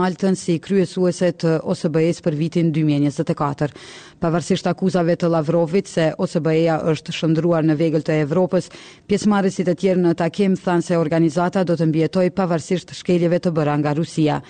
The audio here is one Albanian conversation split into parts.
Maltën si kryesuese të OSBE-së për vitin 2024. Pavarësisht akuzave të Lavrovit se OSBE-ja është shndërruar në vegël të Evropës, pjesëmarrësit e tjerë në takim thanë se organizata do të mbijetojë pavarësisht shkeljeve të bëra nga Rusia.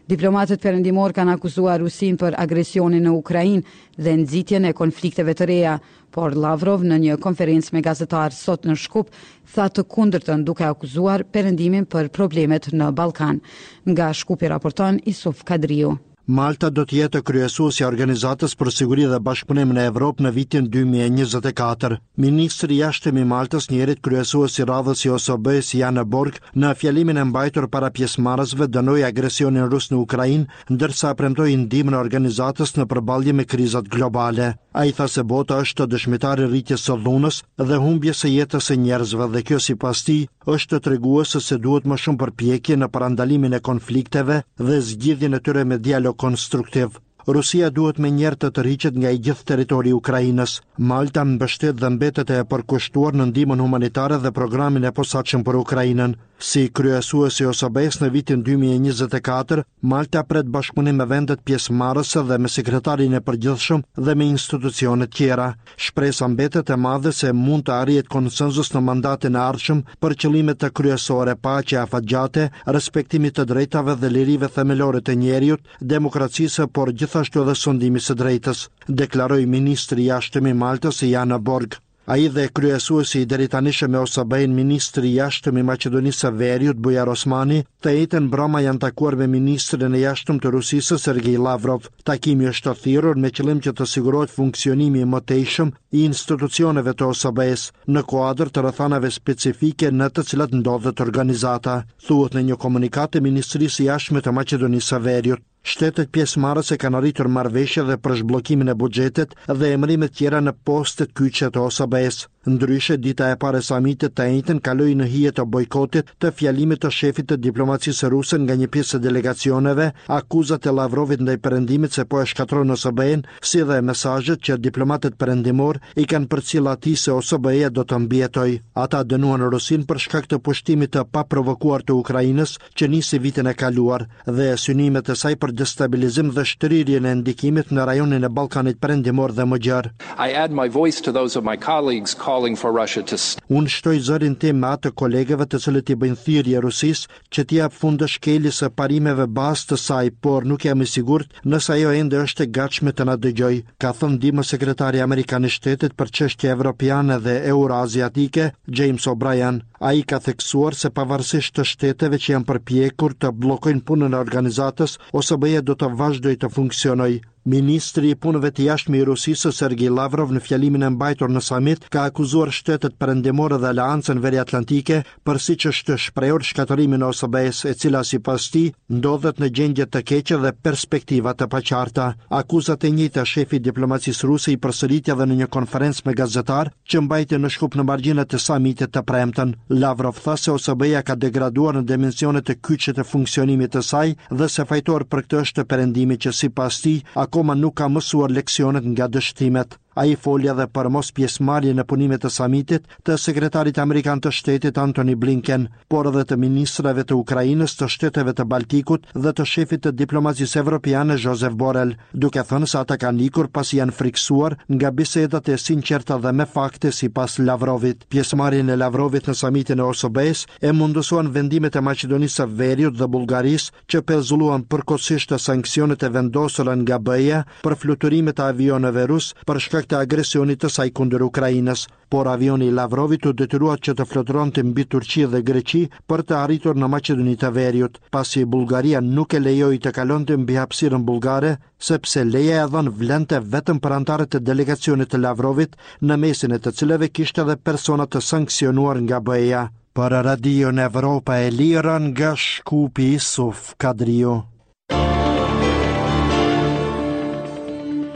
Diplomatët perëndimorë kanë akuzuar Rusinë për agresionin në Ukrainë dhe nxitjen e konflikteve të reja, Por Lavrov në një konferencë me gazetarë sot në Shkup tha të kundërtën duke akuzuar Perëndimin për problemet në Ballkan. Nga Shkupi raporton Isuf Kadriu. Malta do të jetë kryesuesja e Organizatës për Siguri dhe Bashkëpunim në Evropë në vitin 2024. Ministri i Jashtëm i Maltës, njëherit kryesues i radhës i OSBE-së Jan Borg, në fjalimin e mbajtur para pjesëmarrësve dënoi agresionin rus në Ukrainë, ndërsa premtoi ndihmën e organizatës në përballje me krizat globale. Ai tha se bota është dëshmitar i rritjes së dhunës dhe humbjes së jetës së njerëzve dhe kjo sipas tij është treguese se duhet më shumë përpjekje në parandalimin e konflikteve dhe zgjidhjen e tyre me dialog konstruktiv. Rusia duhet menjëherë të tërhiqet nga i gjithë territori i Ukrainës. Malta mbështet dhe mbetet e përkushtuar në ndihmën humanitare dhe programin e posaçëm për Ukrainën. Si kryesues i OSBE-së në vitin 2024, Malta pret bashkëpunim me vendet pjesëmarrëse dhe me Sekretarin e Përgjithshëm dhe me institucionet tjera. Shpresa mbetet e madhe se mund të arrihet konsensus në mandatin e ardhshëm për qëllimet kryesore, paqe afatgjate, respektimi të drejtave dhe lirive themelore të njeriut, demokracisë, por gjithashtu edhe sundimit së drejtës, deklaroi ministri i Jashtëm i Maltës, Jan Borg. Ai dhe kryesuesi i deritanishëm i OSBE-së, ministri i Jashtëm i Maqedonisë së Veriut, Bujar Osmani, të enjten mbrëma janë takuar me ministrin e Jashtëm të Rusisë, Sergej Lavrov. Takimi është thirrur me qëllim që të sigurohet funksionimi i mëtejshëm i institucioneve të OSBE-së, në kuadër të rrethanave specifike në të cilat ndodhet organizata, thuhet në një komunikatë të Ministrisë së Jashtme të Maqedonisë së Veriut. Shtetet pjesëmarrëse kanë arritur marrëveshje dhe për zhbllokimin e buxhetit dhe emërimet tjera në postet kyçe të OSBE-së. Ndryshe, dita e parë e samitit të enjten kaloi në hije të bojkotit të fjalimit të shefit të diplomacisë ruse nga një pjesë e delegacioneve, akuzat e Lavrovit ndaj Perëndimit se po e shkatërron OSBE-në, si dhe mesazhet që diplomatët perëndimorë i kanë përcjellë atij se OSBE-ja do të mbijetojë. Ata dënuan Rusinë për shkak të pushtimit të paprovokuar të Ukrainës që nisi vitin e kaluar dhe synimet e saj për destabilizim dhe shtrirjen e ndikimit në rajonin e Ballkanit Perëndimor dhe më gjerë. I add my voice to those of my colleagues calling for Russia to Unë shtoj zërin tim me atë të kolegëve të cilët i bëjnë thirrje Rusisë që t'i japë fund shkeljes së parimeve bazë të saj, por nuk jam i sigurt nëse ajo ende është e gatshme të na dëgjojë, ka thënë ndihmëssekretari amerikan i Shtetit për çështje evropiane dhe euroaziatike, James O'Brien. Ai ka theksuar se pavarësisht të shteteve që janë përpjekur të bllokojnë punën e organizatës, OSBE-ja do të vazhdojë të funksionojë. Ministri i Punëve të Jashtme i Rusisë, Sergej Lavrov, në fjalimin e mbajtur në samit, ka akuzuar shtetet perëndimore dhe Aleancën Veriatlantike për siç është shprehur shkatërrimin e OSBE-së, e cila sipas tij ndodhet në gjendje të keqe dhe perspektiva të paqarta. Akuzat e njëjta shefi i diplomacisë ruse i përsëriti edhe në një konferencë me gazetarë, që mbajti në Shkup në margjinat e samitit të premten. Lavrov tha se OSBE-ja ka degraduar në dimensionet kyçe të funksionimit të saj dhe se fajtor për këtë është Perëndimi që sipas tij akoma nuk ka mësuar leksionet nga dështimet. Ai foli edhe për mospjesëmarrjen në punimet e samitit të sekretarit amerikan të shtetit Antony Blinken, por edhe të ministrave të Ukrainës, të shteteve të Baltikut dhe të shefit të diplomacisë evropiane Josep Borrell, duke thënë se ata kanë ikur pasi janë frikësuar nga bisedat e sinqerta dhe me fakte sipas Lavrovit. Pjesëmarrjen e Lavrovit në samitin e OSBE-së e mundësuan vendimet e Maqedonisë së Veriut dhe Bullgarisë që pezulluan përkohësisht sanksionet e vendosura nga BE-ja për fluturimet e avionëve rusë për shkak të agresionit të saj kundër Ukrainës. Por avioni i Lavrovit u detyrua që të fluturonte mbi Turqi dhe Greqi për të arritur në Maqedoni të Veriut, pasi Bullgaria nuk e lejoi të kalonte mbi hapësirën bullgare, sepse leja e dhënë vlente vetëm për anëtarët e delegacionit të Lavrovit, në mesin e të cilëve kishte edhe persona të sanksionuar nga BE-ja. Për Radion Evropa e Lirë nga Shkupi Isuf Kadriu.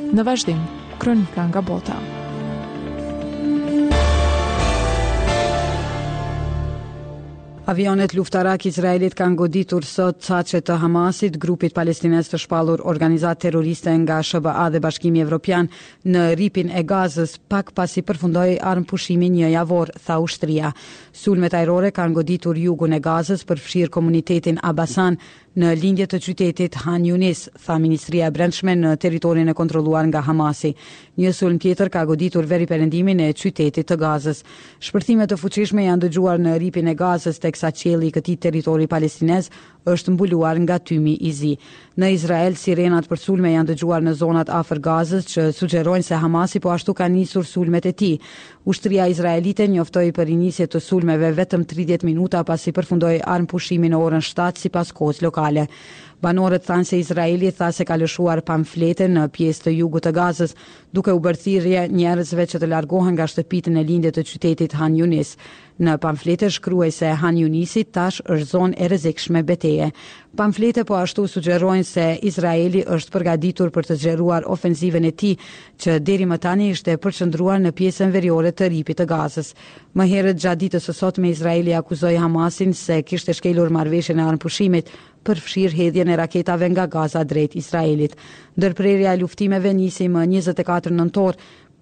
Në vazhdim, kronika nga bota. Avionët luftarakë izraelitë kanë goditur sot caqe të Hamasit, grupit palestinez të shpallur organizatë terroriste nga SHBA dhe Bashkimi Evropian, në Rripin e Gazës, pak pasi përfundoi armëpushimi njëjavor, tha ushtria. Sulmet ajrore kanë goditur jugun e Gazës, përfshirë komunitetin Abasan, në lindje të qytetit Han Yunis, tha Ministria e Brendshme në territorin e kontrolluar nga Hamasi. Një sulm tjetër ka goditur veriperëndimin e qytetit të Gazës. Shpërthime të fuqishme janë dëgjuar në Rripin e Gazës, teksa qielli i këtij territori palestinez është mbuluar nga tymi i zi. Në Izrael, sirenat për sulme janë dëgjuar në zonat afër Gazës që sugjerojnë se Hamasi po ashtu ka nisur sulmet e tij. Ushtria izraelite njoftoi për rinisje të sulmeve vetëm 30 minuta pasi përfundoi armëpushimi në orën 7 sipas kohës lokale. Banorët thanë se Izraeli tha se ka lëshuar pamflete në pjesë të jugut të Gazës, duke u bërë thirrje njerëzve që të largohen nga shtëpitë në lindje të qytetit Han Yunis. Në pamflete shkruhej se Han Yunisi tash është zonë e rrezikshme beteje. Pamflete po ashtu sugjerojnë se Izraeli është përgatitur për të zgjeruar ofenzivën e tij, që deri më tani ishte përqendruar në pjesën veriore të Rripit të Gazës. Më herët gjatë ditës së sotme Izraeli akuzoi Hamasin se kishte shkelur marrëveshjen e armëpushimit, përfshirë hedhjen e raketave nga Gaza drejt Izraelit. Ndërprerja e luftimeve nisi më 24 nëntor,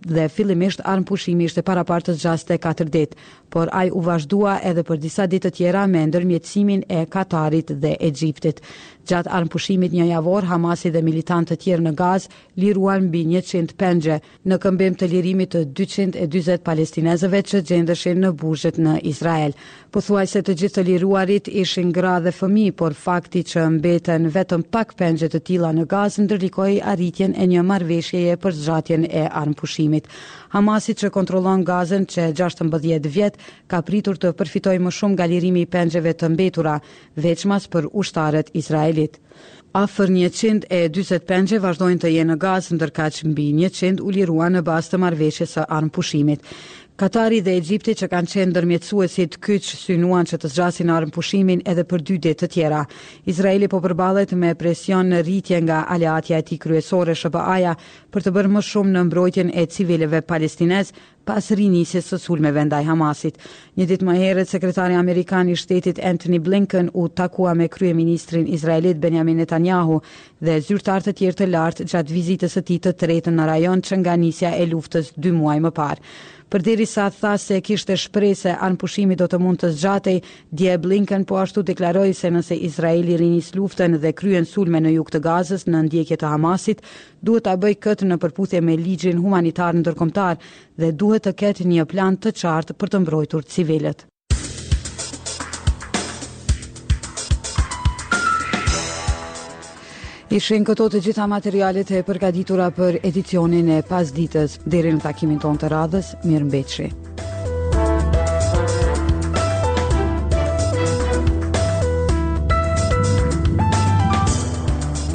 dhe fillimisht armëpushimi ishte paraparë të zgjaste katër ditë, por ai u vazhdua edhe për disa ditë të tjera me ndërmjetësimin e Katarit dhe Egjiptit. Gjatë armëpushimit njëjavor, Hamasi dhe militantë të tjerë në Gazë liruan mbi 100 pengje, në këmbim të lirimit të 240 palestinezëve që gjendeshin në burgjet në Izrael. Pothuajse të gjithë të liruarit ishin gra dhe fëmijë, por fakti që mbeten vetëm pak pengje të tilla në Gazë ndërlikoi arritjen e një marrëveshjeje për zgjatjen e armëpushimit. Hamasi që kontrollon Gazën që 16 vjet ka pritur të përfitojë më shumë nga lirimi i pengjeve të mbetura, veçmas për ushtarët izraelitë. Afër 140 pengje vazhdojnë të jenë në Gazë, ndërkaq mbi 100 u liruan në bazë të marrëveshjes së armëpushimit. Katari dhe Egjipti që kanë qenë ndërmjetësuesit kyç synuan që të zgjasin armëpushimin edhe për dy ditë të tjera. Izraeli po përballet me presion në rritje nga aleatja e tij kryesore SHBA-ja për të bërë më shumë në mbrojtjen e civilëve palestinezë pas rinisjes së sulmeve ndaj Hamasit. Një ditë më herët, sekretari amerikan i shtetit Antony Blinken u takua me kryeministrin izraelit Benjamin Netanyahu dhe zyrtarë të tjerë të lartë gjatë vizitës së tij të tretë në rajon që nga nisja e luftës dy muaj më parë. Përderisa tha se kishte shpresë se armëpushimi do të mund të zgjatej, dje Blinken po ashtu deklaroi se nëse Izraeli rinis luftën dhe kryen sulme në jug të Gazës në ndjekje të Hamasit, duhet ta bëjë këtë në përputhje me ligjin humanitar ndërkombëtar dhe duhet të ketë një plan të qartë për të mbrojtur civilët. Ishin këto të gjitha materialet e përgatitura për edicionin e pasdites. Deri në takimin tonë të radhës, mirëmbetshi.